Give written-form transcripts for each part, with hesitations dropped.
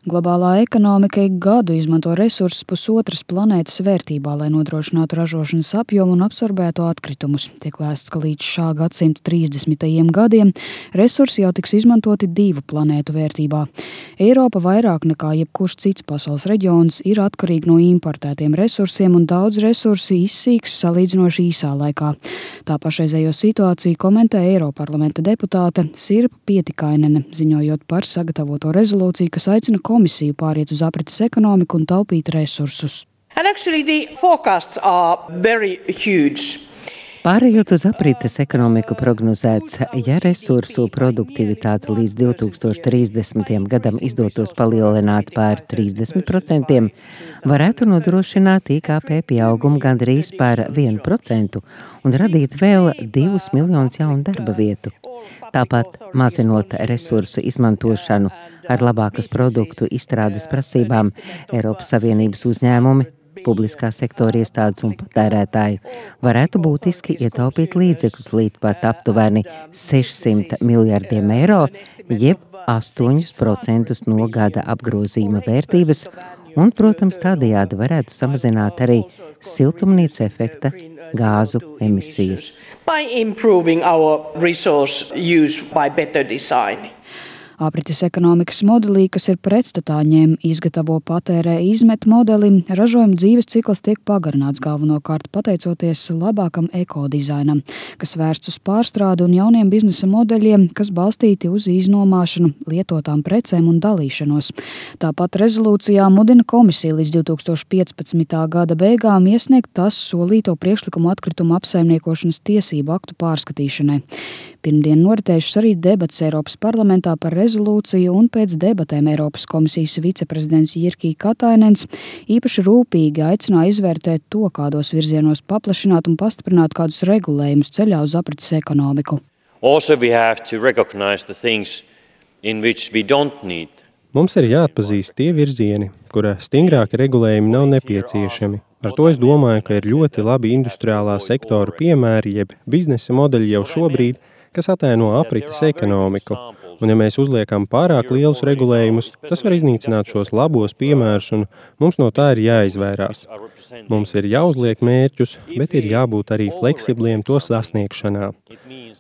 Globālā ekonomika ik gadu izmanto resursus pusotras planētas vērtībā, lai nodrošinātu ražošanas apjomu un absorbētu atkritumus. Tiek lēsts, ka līdz šā gadsimta 30. gadiem resursi jau tiks izmantoti 2 planētu vērtībā. Eiropa vairāk nekā jebkurš cits pasaules reģions ir atkarīga no importētiem resursiem, un daudz resursi izsīks salīdzinoši īsā laikā. Tā pašreizējo situāciju komentē Eiroparlamenta deputāte Sirpa Pietikainene, ziņojot par sagatavoto rezolūciju, kas aicina komisiju pāriet uz aprites ekonomiku un taupīt resursus. Pārējot uz aprites ekonomiku prognozēts, ja resursu produktivitāte līdz 2030. gadam izdotos palielināt par 30%, varētu nodrošināt IKP pieaugumu gandrīz par 1% un radīt vēl 2 miljonus jaunu darba vietu. Tāpat, mazinot resursu izmantošanu ar labākas produktu izstrādes prasībām, Eiropas Savienības uzņēmumi, publiskā sektora iestādes un patērētāji varētu būtiski ietaupīt līdzekļus līdz pat aptuveni 600 miljardiem eiro, jeb 8% no gada apgrozījuma vērtības, un, protams, tādējādi varētu samazināt arī siltumnīca efekta gāzu emisijas. Aprites ekonomikas modelī, kas ir pretstatā ņem, izgatavo, patērē, izmet modeli, ražojuma dzīves cikls tiek pagarināts galvenokārt pateicoties labākam ekodizainam, kas vērsts uz pārstrādi un jauniem biznesa modeļiem, kas balstīti uz iznomāšanu, lietotām precēm un dalīšanos. Tāpat rezolūcijā mudina komisija līdz 2015. gada beigām iesniegt tās solīto priekšlikumu atkritumu apsaimniekošanas tiesību aktu pārskatīšanai. Pirmdien noritējušas arī debats Eiropas parlamentā par rezolūciju, un pēc debatēm Eiropas komisijas viceprezidents Jyrki Katainens īpaši rūpīgi aicināja izvērtēt to, kādos virzienos paplašināt un pastiprināt kādus regulējumus ceļā uz aprites ekonomiku. Mums ir jāatpazīst tie virzieni, kura stingrāki regulējumi nav nepieciešami. Ar to es domāju, ka ir ļoti labi industriālā sektora piemēri, jeb biznesa modeļi jau šobrīd, kas ataino aprites ekonomiku. Un ja mēs uzliekam pārāk lielus regulējumus, tas var iznīcināt šos labos piemērus, un mums no tā ir jāizvairās. Mums ir jāuzliek mērķus, bet ir jābūt arī fleksibliem to sasniegšanā.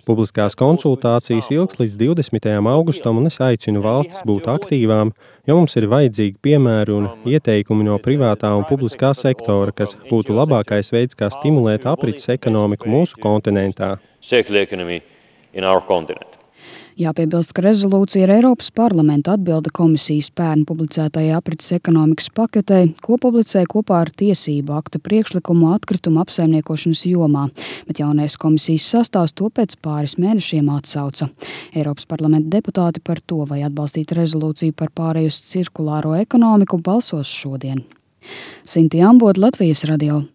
Publiskās konsultācijas ilgs līdz 20. augustam, un es aicinu valstis būt aktīvām, jo mums ir vajadzīgi piemēri un ieteikumi no privātā un publiskā sektora, kas būtu labākais veids, kā stimulēt aprites ekonomiku mūsu kontinentā. Jāpiebilst, ka rezolūcija ir Eiropas parlamenta atbilde komisijas pērn publicētajai aprites ekonomikas paketei, ko publicēja kopā ar tiesību akta priekšlikumu atkritumu apsaimniekošanas jomā, bet jaunais komisijas sastāvs to pēc pāris mēnešiem atsauca. Eiropas parlamenta deputāti par to, vai atbalstīt rezolūciju par pārēju uz cirkulāro ekonomiku, balsos šodien. Sinti Ambode, Latvijas radio.